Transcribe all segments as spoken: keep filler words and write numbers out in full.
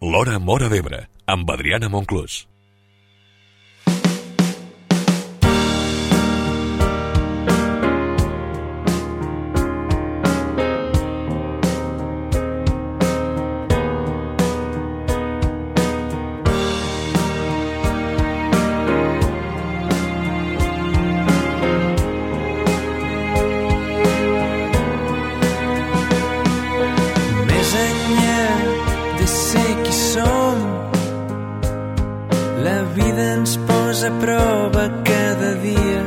L'Hora Móra d'Ebre, amb Adriana Monclús. A prova cada dia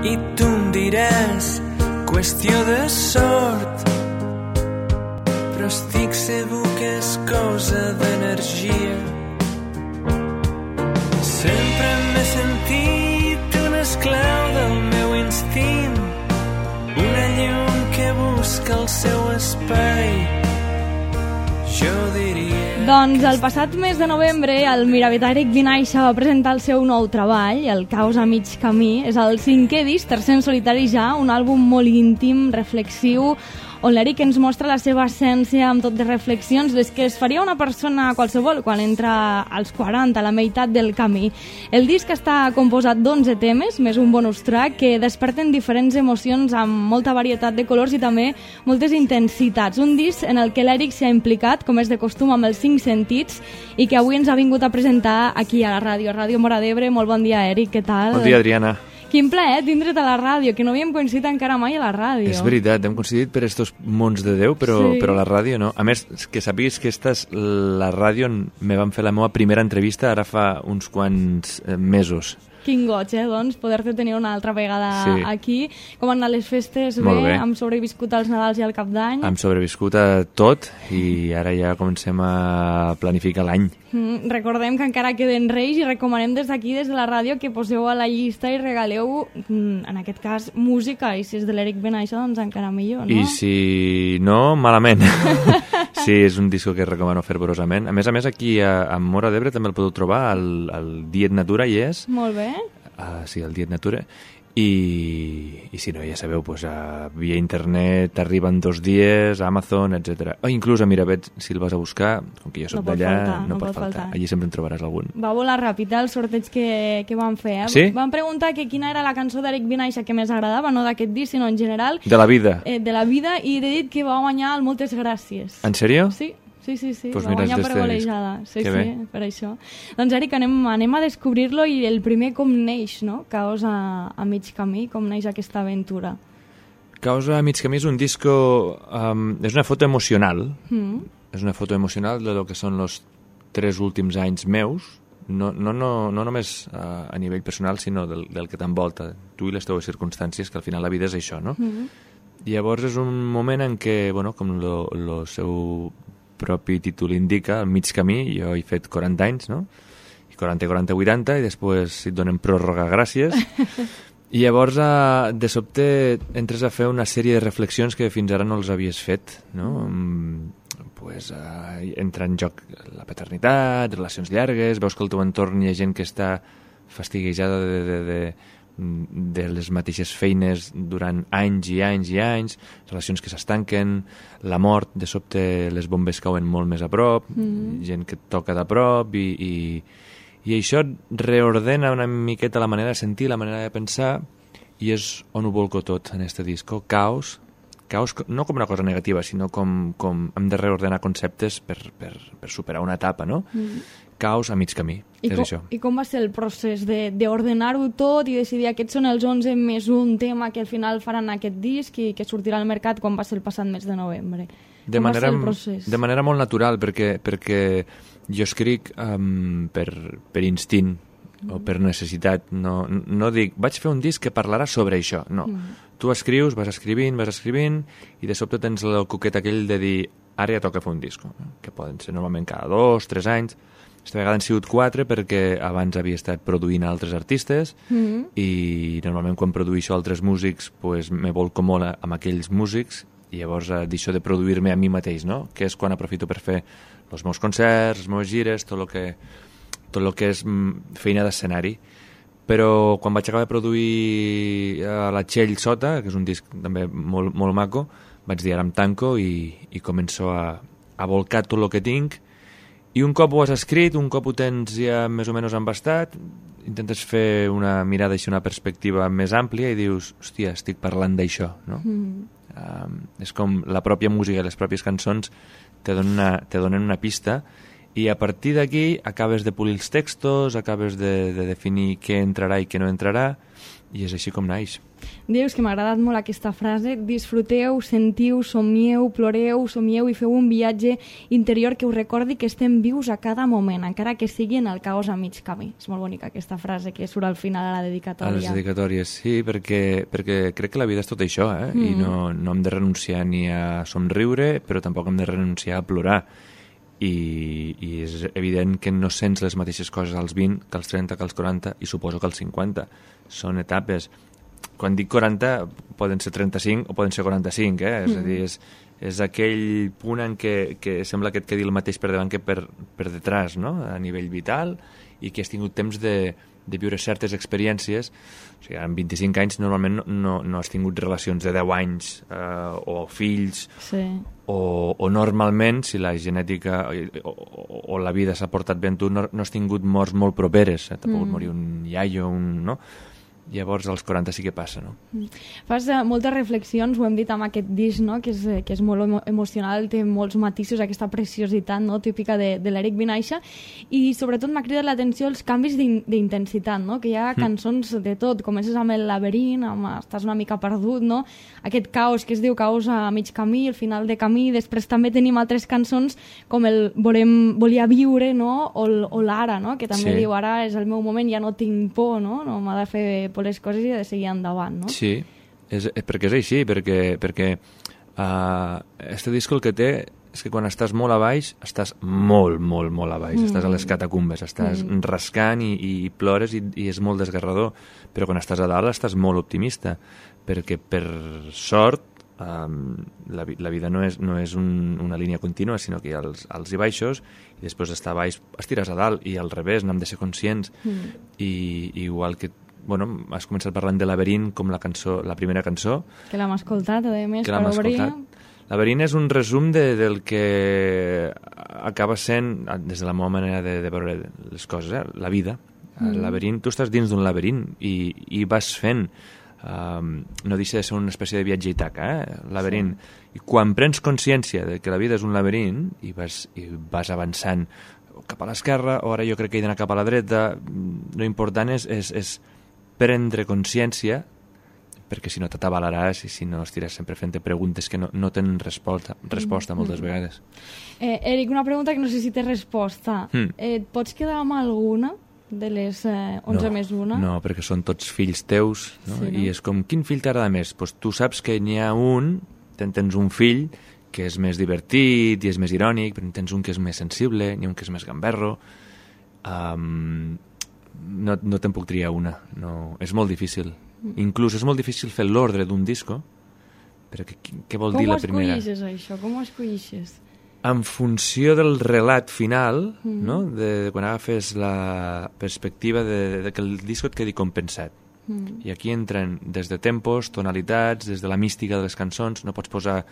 i tu em diràs qüestió de sort, però estic segur que és cosa d'energia. Sempre m'he sentit un esclau del meu instint, una llum que busca el seu espai. Jo diria... Doncs el passat mes de novembre el miravetà Eric Vinaixa va presentar el seu nou treball, El caos a mig camí. És el cinquè disc, tercer en solitari ja, un àlbum molt íntim, reflexiu, on l'Eric ens mostra la seva essència amb tot de reflexions, les que es faria una persona qualsevol quan entra als quaranta, a la meitat del camí. El disc està composat d'onze temes, més un bonus track, que desperten diferents emocions amb molta varietat de colors i també moltes intensitats. Un disc en el que l'Eric s'ha implicat, com és de costum, amb els cinc sentits i que avui ens ha vingut a presentar aquí a la ràdio, a Ràdio Móra d'Ebre. Molt bon dia, Eric, què tal? Bon dia, Adriana. Quin plaer tindre't a la ràdio, que no havíem coincidit encara mai a la ràdio. És veritat, hem coincidit per estos mons de Déu, però, sí. però a la ràdio no. A més, que sàpigues que esta és la ràdio on me van fer la meva primera entrevista ara fa uns quants eh, mesos. Quin goig, eh, doncs, poder-te tenir una altra vegada sí. aquí. Com han anat les festes? Molt bé. Hem sobreviscut als Nadals i al Cap d'Any? Hem sobreviscut a tot i ara ja comencem a planificar l'any. Mm, recordem que encara queden Reis i recomanem des d'aquí, des de la ràdio, que poseu a la llista i regaleu, mm, en aquest cas, música. I si és de l'Eric Vinaixa, doncs encara millor, no? I si no, malament. Sí, és un disco que recomano fervorosament. A més a més, aquí a, a Móra d'Ebre també el podeu trobar, al, al Diet Natura hi és. Molt bé. Uh, sí, el Diet Natura. I, i si no, ja sabeu, pues, a, via internet arriben dos dies, a Amazon, etcètera. O inclús a Miravet, si el vas a buscar, com que jo soc no d'allà, faltar, no, no pot faltar. faltar. Allí sempre en trobaràs algun. Va volar ràpid el sorteig que, que vam fer. Eh? Sí? Vam preguntar que quina era la cançó d'Eric Vinaixa que més agradava, no d'aquest disc, sinó en general. De la vida. Eh, de la vida, i he dit que va guanyar el Moltes Gràcies. En sèrio? Sí. Sí, sí, sí, pues va guanyar per golejada. Sí, sí, bé. Per això. Doncs, Eric, anem, anem a descobrir-lo i el primer com neix, no? Caos a, a mig camí, com neix aquesta aventura. Caos a mig camí és un disco... Um, és una foto emocional. Mm. És una foto emocional de lo que són els tres últims anys meus, no, no, no, no només uh, a nivell personal, sinó del, del que t'envolta, tu i les teves circumstàncies, que al final la vida és això, no? Mm. I llavors és un moment en què, bueno, com el seu propi títol indica, al mig camí, jo he fet quaranta anys, no? I quaranta, quaranta, vuitanta, i després et donen pròrroga, gràcies. I llavors, eh, de sobte, entres a fer una sèrie de reflexions que fins ara no els havies fet, no? Mm. Pues, eh, entra en joc la paternitat, relacions llargues, veus que al teu entorn hi ha gent que està fastiguejada de, de, de, de les mateixes feines durant anys i anys i anys, relacions que s'estanquen, la mort, de sobte les bombes cauen molt més a prop, mm-hmm. gent que et toca de prop, i, i, i això reordena una miqueta la manera de sentir, la manera de pensar, i és on ho volco tot en este disco. Caos, caos no com una cosa negativa, sinó com, com hem de reordenar conceptes per, per, per superar una etapa, no? Mm-hmm. Caos a mig camí, I és com, això. I com va ser el procés d'ordenar-ho tot i decidir aquests són els onze més un tema que al final faran aquest disc i que sortirà al mercat quan va ser el passat mes de novembre? De com manera, va ser el procés? De manera molt natural, perquè, perquè jo escric um, per, per instint mm. o per necessitat. No, no dic, vaig fer un disc que parlarà sobre això. No. Mm. Tu escrius, vas escrivint, vas escrivint, i de sobte tens el coquet aquell de dir ara ja toca fer un disc, que poden ser normalment cada dos, tres anys. Aquesta vegada han sigut quatre perquè abans havia estat produint altres artistes mm-hmm. i normalment quan produïixo altres músics pues, me volco molt amb aquells músics i llavors eh, deixo de produir-me a mi mateix, no? Que és quan aprofito per fer els meus concerts, les meves gires, tot el que, tot el que és feina d'escenari. Però quan vaig acabar de produir a la Txell Sota, que és un disc també molt, molt maco, vaig dir ara em tanco i, i començo a, a volcar tot el que tinc, i un cop ho has escrit, un cop ho tens ja més o menys embastat, intentes fer una mirada i una perspectiva més àmplia i dius, hòstia, estic parlant d'això, no? Mm. Um, és com la pròpia música i les pròpies cançons te donen una, te donen una pista, i a partir d'aquí acabes de polir els textos, acabes de, de definir què entrarà i què no entrarà, i és així com naix. Dius que m'ha agradat molt aquesta frase: disfruteu, sentiu, somieu, ploreu, somieu i feu un viatge interior que us recordi que estem vius a cada moment, encara que sigui en el caos a mig camí. És molt bonica aquesta frase que surt al final a la dedicatòria. A les dedicatòries, sí, perquè, perquè crec que la vida és tot això, eh? Mm. I no, no hem de renunciar ni a somriure, però tampoc hem de renunciar a plorar. I, i és evident que no sents les mateixes coses als vint que als trenta, que als quaranta, i suposo que als cinquanta. Són etapes. Quan dic quaranta poden ser trenta-cinc o poden ser quaranta-cinc, eh? Mm. És a dir, és, és aquell punt en què, que sembla que et quedi el mateix per davant que per, per detrás, no? A nivell vital, i que has tingut temps de, de viure certes experiències. O sigui, amb vint-i-cinc anys normalment no, no, no has tingut relacions de deu anys eh, o fills, sí. o, o normalment, si la genètica o, o, o la vida s'ha portat bé amb tu, no, no has tingut morts molt properes. T'ha pogut mm. morir un iaio, un... no? Llavors als quaranta sí que passa, no? Fas uh, moltes reflexions, ho hem dit amb aquest disc, no? que, és, que és molt emo emocional, té molts matisos, aquesta preciositat, no? típica de, de l'Eric Vinaixa, i sobretot m'ha cridat l'atenció els canvis d'intensitat, no? que hi ha cançons de tot, comences amb el laberint, amb, estàs una mica perdut, no? Aquest caos que es diu caos a mig camí, el final de camí, després també tenim altres cançons com el volem, volia viure, no? o, o l'ara, no? que també sí. diu ara és el meu moment, ja no tinc por, no, no m'ha de fer per les coses i de seguir endavant, no? Sí, és, perquè és així, perquè, perquè uh, este disc el que té és que quan estàs molt a baix, estàs molt, molt, molt a baix, mm. estàs a les catacumbes, estàs mm. rascant i, i plores i, i és molt desgarrador, però quan estàs a dalt estàs molt optimista, perquè per sort um, la, la vida no és, no és un, una línia contínua, sinó que hi ha els alts i baixos, i després d'estar a baix estires a dalt, i al revés, n'hem de ser conscients, mm. i, i igual que bueno, has començat parlant de Laberint com la cançó, la primera cançó. Que l'hem escoltat, a més, per obrir. Laberint és un resum de, del que acaba sent, des de la meva manera de, de veure les coses, eh? La vida. Mm. El laberint, tu estàs dins d'un laberint i, i vas fent, um, no deixa de ser una espècie de viatge i taca, eh? Laberint. Sí. I quan prens consciència de que la vida és un laberint i vas, i vas avançant cap a l'esquerra, o ara jo crec que he d'anar cap a la dreta, lo important és, és, és prendre consciència, perquè si no t'atabalaràs i si no estiràs sempre fent preguntes que no, no tenen resposta, resposta moltes mm. vegades. Eh, Eric, una pregunta que no sé si té resposta. Mm. Eh, et pots quedar amb alguna de les eh, onze no, més una? No, perquè són tots fills teus, no? Sí, no? I és com, quin fill t'agrada més? Pues tu saps que n'hi ha un, ten, tens un fill que és més divertit i és més irònic, però tens un que és més sensible, n'hi ha un que és més gamberro. Um, no, no te'n puc triar una, no, és molt difícil. Mm. Inclús és molt difícil fer l'ordre d'un disco, perquè què vol Com dir la primera? Com ho escollixes, això? Com ho escollixes? En funció del relat final, mm. no? de, de quan agafes la perspectiva de, de que el disco et quedi compensat. Mm. I aquí entren des de tempos, tonalitats, des de la mística de les cançons. No pots posar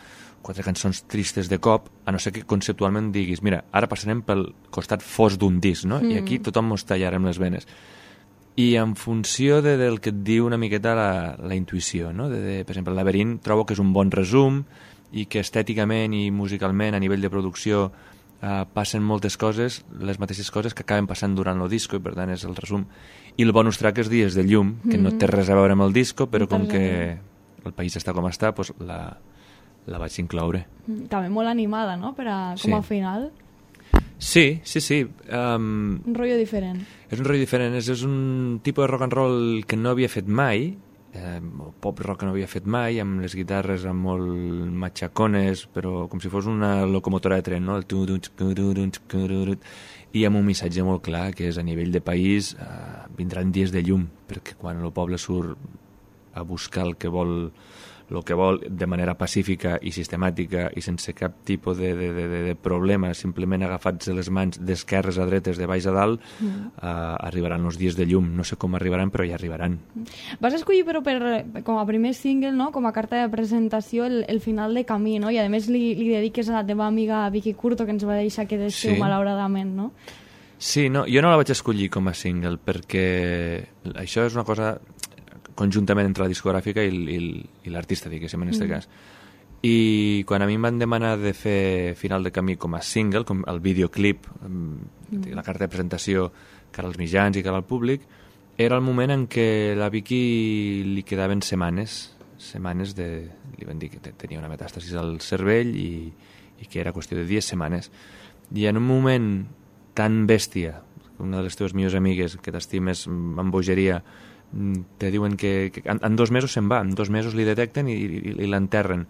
quatre cançons tristes de cop, a no ser que conceptualment diguis, mira, ara passarem pel costat fos d'un disc, no? Mm. I aquí tothom mos tallarem les venes. I en funció de, del que et diu una miqueta la, la intuïció, no? De, de, per exemple, el Laberint trobo que és un bon resum i que estèticament i musicalment, a nivell de producció, eh, passen moltes coses, les mateixes coses que acaben passant durant el disco, i per tant és el resum. I el bonus track és Dies de llum, que mm-hmm. no té res a veure amb el disco, però com que el país està com està, doncs la, la vaig incloure. També molt animada, no?, per a, com sí. a final. Sí, sí, sí. Um, un rotllo diferent. És un rotllo diferent, és, és un tipus de rock and roll que no havia fet mai, eh, pop rock que no havia fet mai, amb les guitarres amb molt matxacones, però com si fos una locomotora de tren, no? El i amb un missatge molt clar, que és a nivell de país, eh, vindran dies de llum, perquè quan el poble surt a buscar el que vol, el que vol de manera pacífica i sistemàtica i sense cap tipus de, de, de, de problema, simplement agafats les mans d'esquerres a dretes, de baix a dalt, mm. uh, arribaran els dies de llum. No sé com arribaran, però ja arribaran. Vas escollir, però, per, com a primer single, no? Com a carta de presentació, el, el final de camí, no? I a més li, li dediques a la teva amiga Vicky Curto, que ens va deixar que deixeu, sí. malauradament, no? Sí, no, jo no la vaig escollir com a single, perquè això és una cosa conjuntament entre la discogràfica i, i, i l'artista, diguéssim, en aquest mm. cas. I quan a mi em van demanar de fer Final de camí com a single, com el videoclip, mm. la carta de presentació cara als mitjans i cara al públic, era el moment en què la Vicky li quedaven setmanes, setmanes de... li van dir que tenia una metàstasis al cervell i, i que era qüestió de dies, setmanes. I en un moment tan bèstia, una de les teves millors amigues, que t'estimes amb bogeria, te diuen que, que en, en dos mesos se'n va, en dos mesos li detecten i, i, i l'enterren.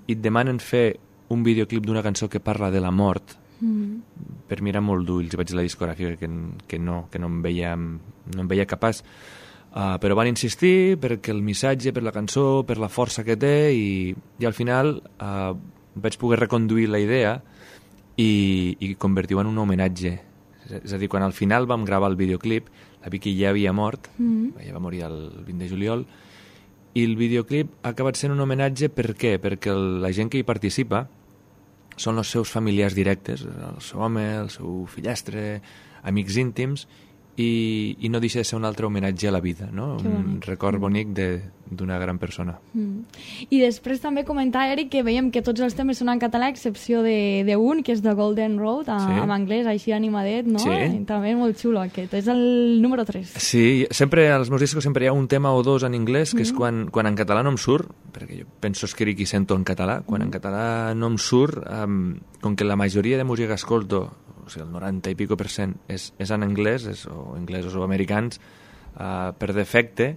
I et demanen fer un videoclip d'una cançó que parla de la mort, mm. per mirar molt d'ulls. Vaig dir la discogràfica que, que, no, que no, em veia, no em veia capaç. Uh, però van insistir perquè el missatge, per la cançó, per la força que té, i, i al final uh, vaig poder reconduir la idea i, i convertir-ho en un homenatge. És a dir, quan al final vam gravar el videoclip, la Vicky ja havia mort, mm. ja va morir el vint de juliol, i el videoclip ha acabat sent un homenatge. Per què? Perquè el, la gent que hi participa són els seus familiars directes, el seu home, el seu fillastre, amics íntims, i, i no deixa de ser un altre homenatge a la vida, no? Un record bonic d'una gran persona. Mm. I després també comentar, Eric, que veiem que tots els temes són en català, a excepció d'un, que és The Golden Road, a, sí. en anglès, així animadet, no? Sí. I també molt xulo aquest. És el número tres. Sí, sempre, als meus discos sempre hi ha un tema o dos en anglès, que mm. és quan, quan en català no em surt, perquè jo penso escric i sento en català, quan mm. en català no em surt, um, com que la majoria de música que escolto, o sigui, el noranta i pico per cent és, és en anglès, és, o anglesos o americans, uh, per defecte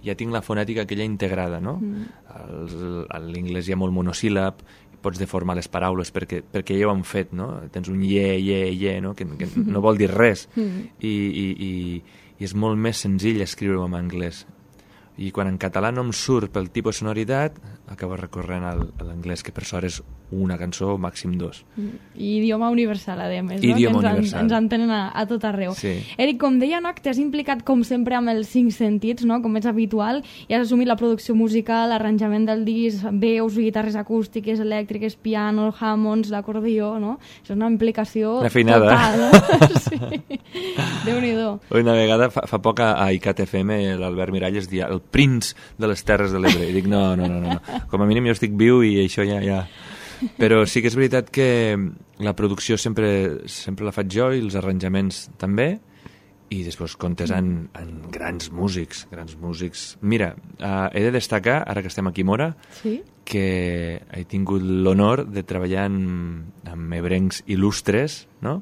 ja tinc la fonètica aquella integrada, no? Mm. L'inglès hi ha molt monosíl·lab, pots deformar les paraules perquè, perquè ja ho han fet, no? Tens un ye, ye, ye, no? Que, que no vol dir res. Mm. I, i, i, I és molt més senzill escriure-ho en anglès. I quan en català no em surt pel tipus de sonoritat, acabo recorrent al, a l'anglès, que per sort és una cançó, màxim dos. I idioma universal, a més, no? Idioma que ens, universal. Ens entenen a, a tot arreu. Sí. Eric, com deia, no, t'has implicat com sempre amb els cinc sentits, no? Com és habitual, i has assumit la producció musical, l'arranjament del disc, veus, guitarres acústiques, elèctriques, pianos, Hammonds, l'acordió, no? És una implicació una feinada. Total, no? Sí. Déu-n'hi-do. Una vegada, fa, fa poc a I C A T F M, l'Albert Miralles dia el prinç de les Terres de l'Ebre. I dic, no, no, no, no. Com a mínim jo estic viu i això ja... ja... Però sí que és veritat que la producció sempre, sempre la faig jo i els arranjaments també, i després comptes en, en grans músics, grans músics. Mira, uh, he de destacar, ara que estem aquí a Mora, sí? que he tingut l'honor de treballar amb, amb ebrencs il·lustres, no?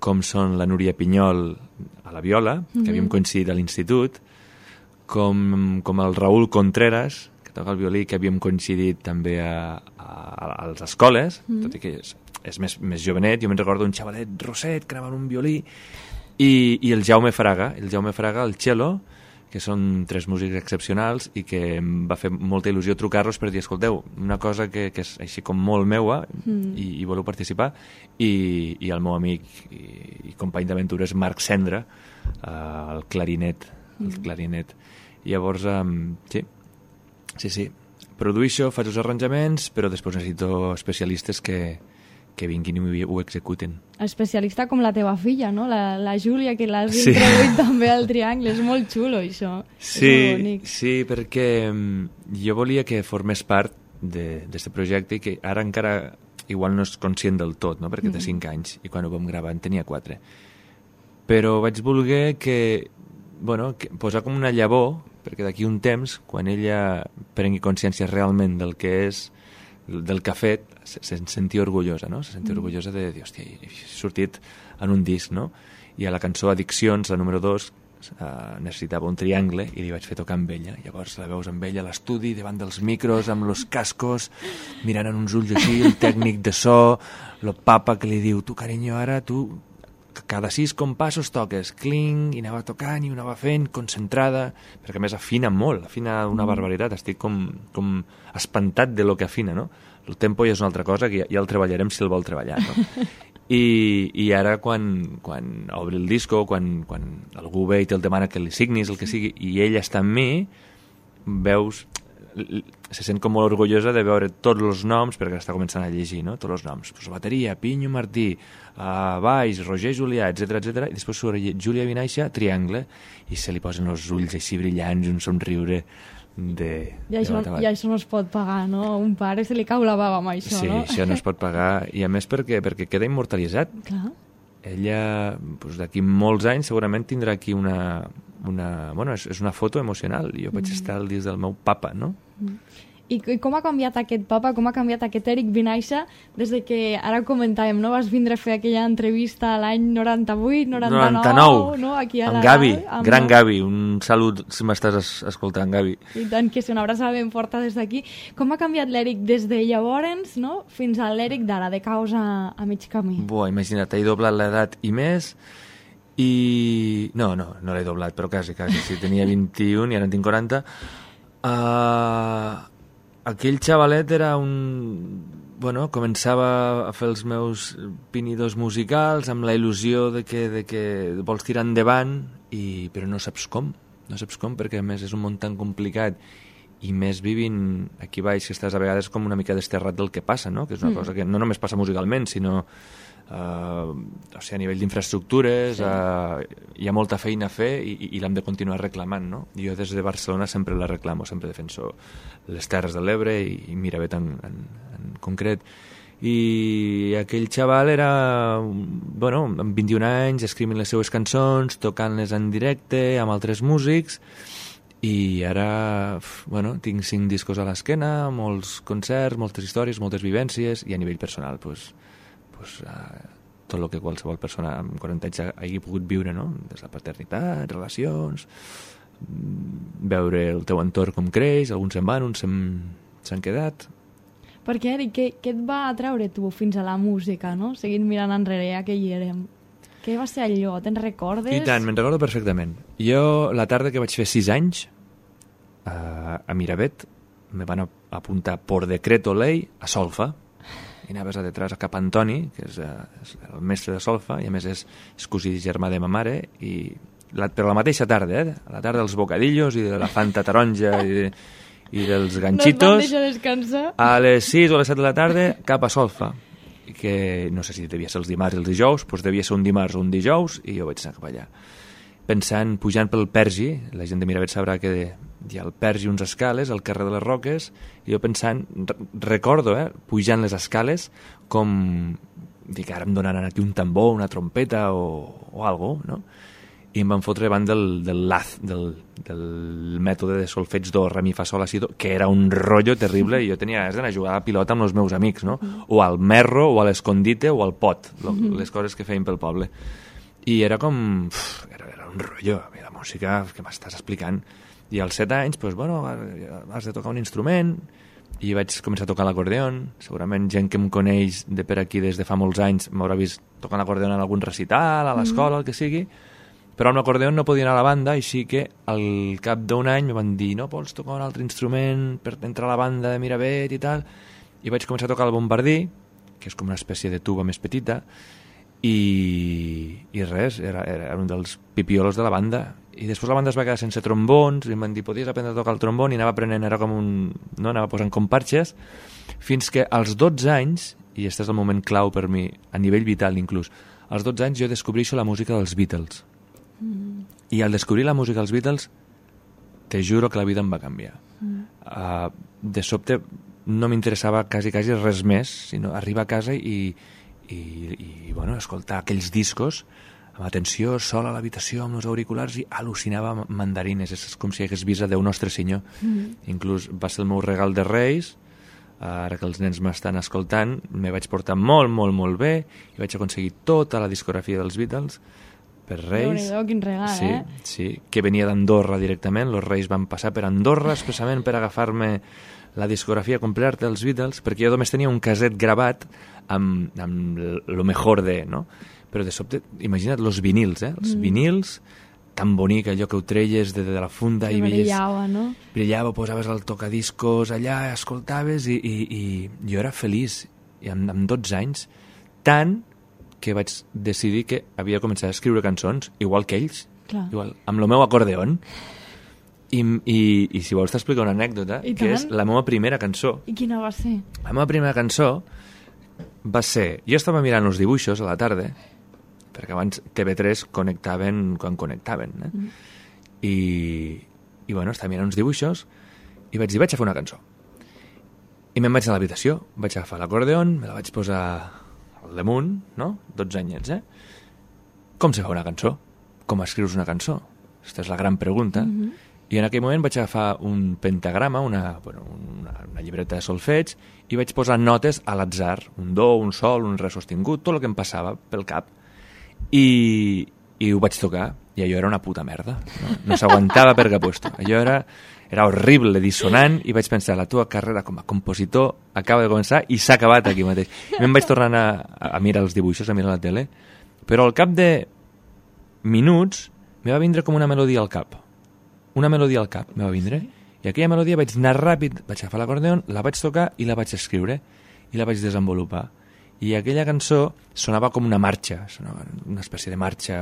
Com són la Núria Pinyol a la viola, que mm-hmm. havíem coincidit a l'institut, com, com el Raúl Contreras, que toca el violí, que havíem coincidit també a, a, a les escoles, mm. tot i que és, és més, més jovenet. Jo me'n recordo un xavalet rosset que anava en un violí, i, i el Jaume Fraga, el Jaume Fraga, el cello, que són tres músics excepcionals i que em va fer molta il·lusió trucar-los per dir, escolteu, una cosa que, que és així com molt meua mm. i, i voleu participar, i, i el meu amic i, i company d'aventures Marc Cendra, uh, el clarinet, el mm. clarinet. I llavors, um, sí, sí, sí, produïixo, faig els arranjaments, però després necessito especialistes que, que vinguin i ho executen. Especialista com la teva filla, no? La, la Júlia, que l'has sí. introduït també al Triangle. És molt xulo, això. Sí, sí, perquè jo volia que formés part d'aquest projecte i que ara encara igual no és conscient del tot, no? Perquè mm. té cinc anys i quan ho vam gravar en tenia quatre. Però vaig voler que, bueno, que posar com una llavor, perquè d'aquí un temps, quan ella prengui consciència realment del que és, del que ha fet, se, se sentia orgullosa, no? Se sentia mm. orgullosa de dir, hòstia, he sortit en un disc, no? I a la cançó Addiccions, la número dos, uh, necessitava un triangle i li vaig fer tocar amb ella. Llavors la veus amb ella a l'estudi, davant dels micros, amb los cascos, mirant en uns ulls així, el tècnic de so, el papa que li diu, tu, carinyo, ara tu cada sis compassos toques, cling, i anava tocant i ho anava fent, concentrada, perquè a més afina molt, afina una barbaritat, estic com, com espantat de lo que afina, no? El tempo ja és una altra cosa, que ja, ja el treballarem si el vol treballar, no? I, i ara quan, quan obri el disco, quan, quan algú ve i te'l demana que li signis, el que sigui, i ell està amb mi, veus... se sent com molt orgullosa de veure tots els noms, perquè està començant a llegir, no? Tots els noms. Pues, bateria, Pinyo Martí, uh, baix, Roger Julià, etcètera, etcètera. I després surt Júlia Vinaixa, triangle, i se li posen els ulls així brillants, un somriure de... I això, de i això no es pot pagar, no? A un pare se li cau la bava amb això, sí, no? Sí, això no es pot pagar. I a més perquè, perquè queda immortalitzat. Clar. Ella, doncs, d'aquí molts anys, segurament tindrà aquí una... una bueno, és, és una foto emocional. Jo vaig mm. estar al dins del meu papa, no? Mm. I, I com ha canviat aquest papa, com ha canviat aquest Eric Vinaixa des de que, ara comentàvem, no? Vas vindre a fer aquella entrevista l'any noranta-vuit, noranta-nou, noranta-nou, no? Aquí a amb la, Gavi, amb... gran Gavi, un salut si m'estàs es, escoltant, Gavi. I tant, que és una abraçada ben forta des d'aquí. Com ha canviat l'Eric des de llavors, no? Fins a l'Eric d'ara, de causa a mig camí? Buah, imagina't, he doblat l'edat i més, i... No, no, no l'he doblat, però quasi, quasi. Si tenia vint-i-un i ara en tinc quaranta. Uh... Aquell xavalet era un... Bueno, començava a fer els meus pinidors musicals amb la il·lusió de que, de que vols tirar endavant, i... però no saps com. No saps com, perquè a més és un món tan complicat, i més vivint aquí baix, que estàs a vegades com una mica desterrat del que passa, no? Que és una mm. cosa que no només passa musicalment, sinó... Uh, o sigui, a nivell d'infraestructures, sí. uh, hi ha molta feina a fer i, i l'hem de continuar reclamant, no? Jo des de Barcelona sempre la reclamo, sempre defenso les Terres de l'Ebre i, i Miravet en, en, en concret. I aquell xaval era, bueno, amb vint-i-un anys, escrivint les seues cançons, tocant-les en directe amb altres músics, i ara, bueno, tinc cinc discos a l'esquena, molts concerts, moltes històries, moltes vivències, i a nivell personal, doncs, pues, uh, tot el que qualsevol persona amb quaranta anys hagi pogut viure, no? Des de la paternitat, relacions, veure el teu entorn com creix, alguns se'n van, uns s'han quedat. Perquè, Eric, què, què et va atreure tu fins a la música, no? Seguint mirant enrere, ja que hi érem. Què va ser allò? Te'n recordes? I tant, me'n recordo perfectament. Jo, la tarda que vaig fer sis anys, uh, a Miravet, me van apuntar por decreto ley a solfa, i anaves a detrás a Cap Antoni, que és, uh, és el mestre de solfa, i a més és, és cosí germà de ma mare, i la, però la mateixa tarda, eh? A la tarda dels bocadillos i de la Fanta taronja i, i dels ganchitos. No et van deixar descansar. A les sis o a les set de la tarda, cap a solfa. Que no sé si devia ser els dimarts i els dijous, doncs devia ser un dimarts o un dijous, i jo vaig anar cap allà. Pensant, pujant pel Pergi, la gent de Miravet sabrà que hi ha el Pergi, uns escales, al carrer de les Roques, i jo pensant, recordo, eh, pujant les escales, com, dic, ara em donaran aquí un tambor, una trompeta o, o algo, no? I em van fotre davant del, del Laz, del, del mètode de solfeig do, re, mi, fa, sol, la, si, do, que era un rotllo terrible, i jo tenia ganes d'anar a jugar a la pilota amb els meus amics, no? O al merro, o a l'escondite, o al pot, les coses que feien pel poble. I era com... Uf, era, era un rotllo, la música que m'estàs explicant. I als set anys, doncs, bueno, has de tocar un instrument, i vaig començar a tocar l'acordeon. Segurament gent que em coneix de per aquí des de fa molts anys m'haurà vist tocant l'acordeon en algun recital, a l'escola, el que sigui, però amb l'acordeon no podia anar a la banda, així que al cap d'un any em van dir, no vols tocar un altre instrument per entrar a la banda de Miravet i tal, i vaig començar a tocar el bombardí, que és com una espècie de tuba més petita, i, i res, era, era un dels pipiolos de la banda. I després la banda es va quedar sense trombons, i em van dir, podies aprendre a tocar el trombon, i anava aprenent, era com un... no, anava posant com parxes, fins que als dotze anys, i aquest és el moment clau per mi, a nivell vital inclús, als dotze anys jo descobreixo la música dels Beatles. Mm. I al descobrir la música dels Beatles, te juro que la vida em va canviar. Mm. Uh, de sobte no m'interessava quasi, quasi res més, sinó arribar a casa i, i, i bueno, escoltar aquells discos amb atenció, sol a l'habitació, amb els auriculars, i al·lucinava mandarines. És com si hagués vist a Déu Nostre Senyor. Mm. Inclús va ser el meu regal de Reis, ara que els nens m'estan escoltant, me vaig portar molt, molt, molt bé, i vaig aconseguir tota la discografia dels Beatles per Reis. Déu-n'hi-do, quin regal, sí, eh? Sí, que venia d'Andorra directament. Els Reis van passar per Andorra expressament per agafar-me la discografia completa dels Beatles, perquè jo només tenia un caset gravat amb, amb lo mejor de, no? però de sobte, imagina't, els vinils, eh? Els mm. vinils, tan bonic, allò que ho treies de, de la funda que i veies... brillava, no? Brillava, posaves el tocadiscos allà, escoltaves i, i, i jo era feliç. I amb, amb dotze anys, tant que vaig decidir que havia començat a escriure cançons, igual que ells, Clar. igual, amb el meu acordeon. I, i, i si vols t'explicar una anècdota, I que tant. és la meva primera cançó. I quina va ser? La meva primera cançó va ser... Jo estava mirant els dibuixos a la tarda, perquè abans T V tres connectaven quan connectaven, eh? Mm. I, i bueno, estava mirant uns dibuixos i vaig dir, vaig a fer una cançó. I me'n vaig a l'habitació, vaig agafar l'acordeon, me la vaig posar al damunt, no? dotze anyets, eh? Com se fa una cançó? Com escrius una cançó? Aquesta és la gran pregunta. Mm-hmm. I en aquell moment vaig agafar un pentagrama, una, bueno, una, una llibreta de solfeig, i vaig posar notes a l'atzar, un do, un sol, un re sostingut, tot el que em passava pel cap. I, i ho vaig tocar, i allò era una puta merda. No, no s'aguantava per cap puesto. Allò era, era horrible, dissonant, i vaig pensar, la teva carrera com a compositor acaba de començar i s'ha acabat aquí mateix. I me'n vaig tornar a, a mirar els dibuixos, a mirar la tele, però al cap de minuts me va vindre com una melodia al cap. Una melodia al cap me va vindre, i aquella melodia vaig anar ràpid, vaig agafar l'acordeon, la vaig tocar i la vaig escriure, i la vaig desenvolupar. I aquella cançó sonava com una marxa, sonava una espècie de marxa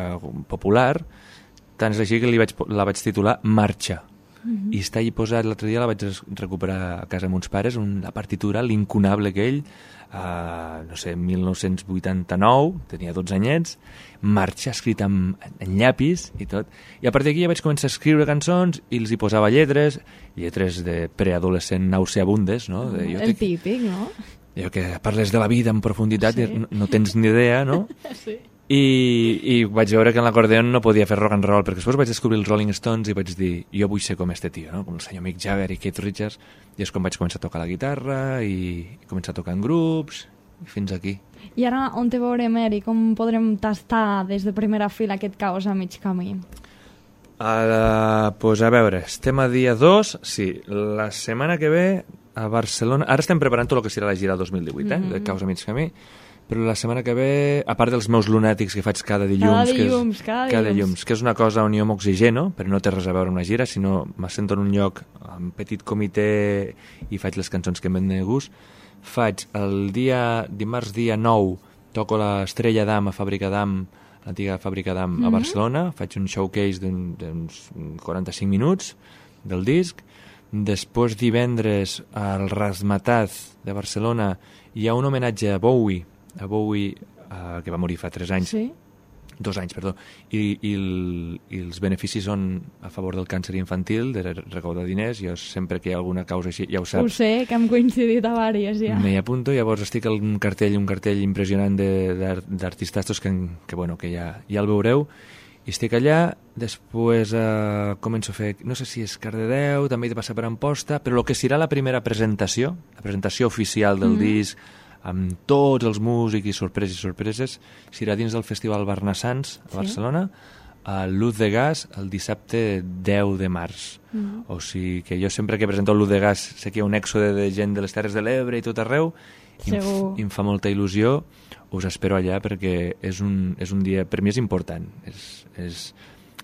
popular, tant és així que li vaig, la vaig titular Marxa. Mm-hmm. I està allà posat, l'altre dia la vaig recuperar a casa amb uns pares, un, la partitura, l'incunable aquell, uh, no sé, mil nou-cents vuitanta-nou, tenia dotze anyets, Marxa, escrita en, en llapis i tot. I a partir d'aquí ja vaig començar a escriure cançons i els hi posava lletres, lletres de preadolescent nauseabundes, no? De, jo El te... típic, no? Allò que parles de la vida en profunditat sí. i no, no tens ni idea, no? Sí. I, I vaig veure que en l'acordeon no podia fer rock and roll, perquè després vaig descobrir els Rolling Stones i vaig dir, jo vull ser com este tio, no? Com el senyor Mick Jagger i Keith Richards, i és com vaig començar a tocar la guitarra i, i començar a tocar en grups, i fins aquí. I ara on te veurem, Eric? Com podrem tastar des de primera fila aquest caos a mig camí? Uh, pues a veure, estem a dia dos, sí, la setmana que ve a Barcelona, ara estem preparant tot el que serà la gira dos mil divuit, eh, mm-hmm. de Caos a mig camí, però la setmana que ve, a part dels meus lunàtics que faig cada dilluns, cada dilluns, que és, cada cada dilluns. dilluns, que és una cosa on jo m'oxigeno, però no té res a veure amb una gira, sinó m'assento en un lloc amb petit comitè i faig les cançons que em ven de gust. Faig el dia, dimarts dia nou, toco l'Estrella d'Am a Fàbrica d'Am, l'antiga Fàbrica d'Am mm-hmm. a Barcelona, faig un showcase d'uns quaranta-cinc minuts del disc. Després divendres al Razmataz de Barcelona hi ha un homenatge a Bowie, a Bowie uh, que va morir fa tres anys, sí? dos anys, perdó, i, i, el, i els beneficis són a favor del càncer infantil, de recaudar diners. Jo sempre que hi ha alguna causa així, ja ho saps. Ho sé, que hem coincidit a vàries ja. M'hi apunto, llavors estic en un cartell, un cartell impressionant d'artistastos que, que, bueno, que ja, ja el veureu. I estic allà, després eh, començo a fer, no sé si és Cardedeu, també he de passar per Amposta, però el que serà la primera presentació, la presentació oficial del mm. disc, amb tots els músics i sorpreses i sorpreses, serà dins del Festival Barnassans a Barcelona, sí? a Luz de Gas, el dissabte deu de març. Mm. O sigui que jo sempre que presento Luz de Gas sé que hi ha un èxode de gent de les Terres de l'Ebre i tot arreu, i em, i em fa molta il·lusió. Us espero allà perquè és un, és un dia, per mi és important, és, és,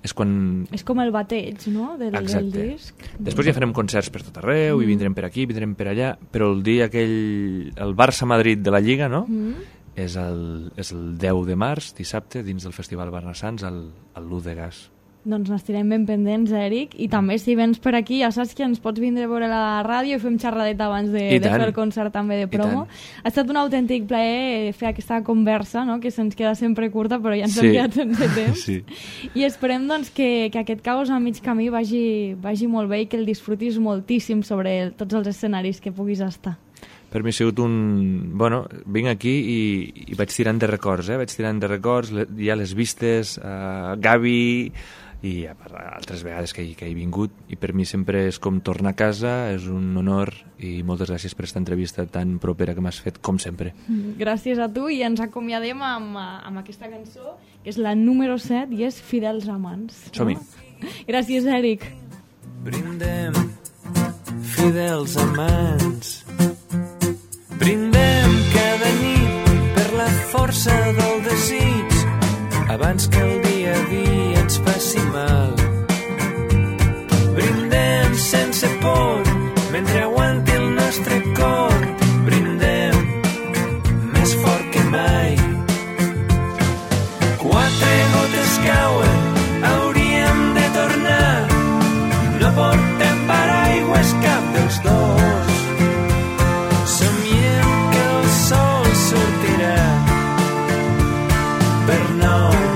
és quan... És com el bateig, no?, del, del disc. Després ja farem concerts per tot arreu, mm. i vindrem per aquí, vindrem per allà, però el dia aquell, el Barça-Madrid de la Lliga, no?, mm. és, el, és el deu de març, dissabte, dins del Festival Barnassans, al, al Luz de Gas. Doncs n'estirem ben pendents, Eric, i també si vens per aquí ja saps que ens pots vindre a veure a la ràdio i fem xerradeta abans de, de fer el concert també de promo. Ha estat un autèntic plaer fer aquesta conversa, no?, que se'ns queda sempre curta però ja ens sí. hem quedat sense temps. Sí. I esperem doncs, que, que aquest caos a mig camí vagi, vagi molt bé i que el disfrutis moltíssim sobre el, tots els escenaris que puguis estar. Per mi ha sigut un... Bueno, vinc aquí i, i vaig tirant de records, eh? Vaig tirant de records, hi ha les vistes, uh, Gavi... i altres vegades que he, que he vingut, i per mi sempre és com tornar a casa, és un honor, i moltes gràcies per aquesta entrevista tan propera que m'has fet, com sempre. Gràcies a tu, i ens acomiadem amb, amb aquesta cançó, que és la número set, i és Fidels Amants. Som-hi. No? Gràcies, Eric. Brindem, fidels amants, brindem cada nit per la força del desig, abans que el dia a dia ens faci mal. Brindem sense por mentre aguanti el nostre cor. Brindem més fort que mai. Quatre gotes cauen, hauríem de tornar. No portem paraigües cap dels dos. Somiem que el sol sortirà per nou.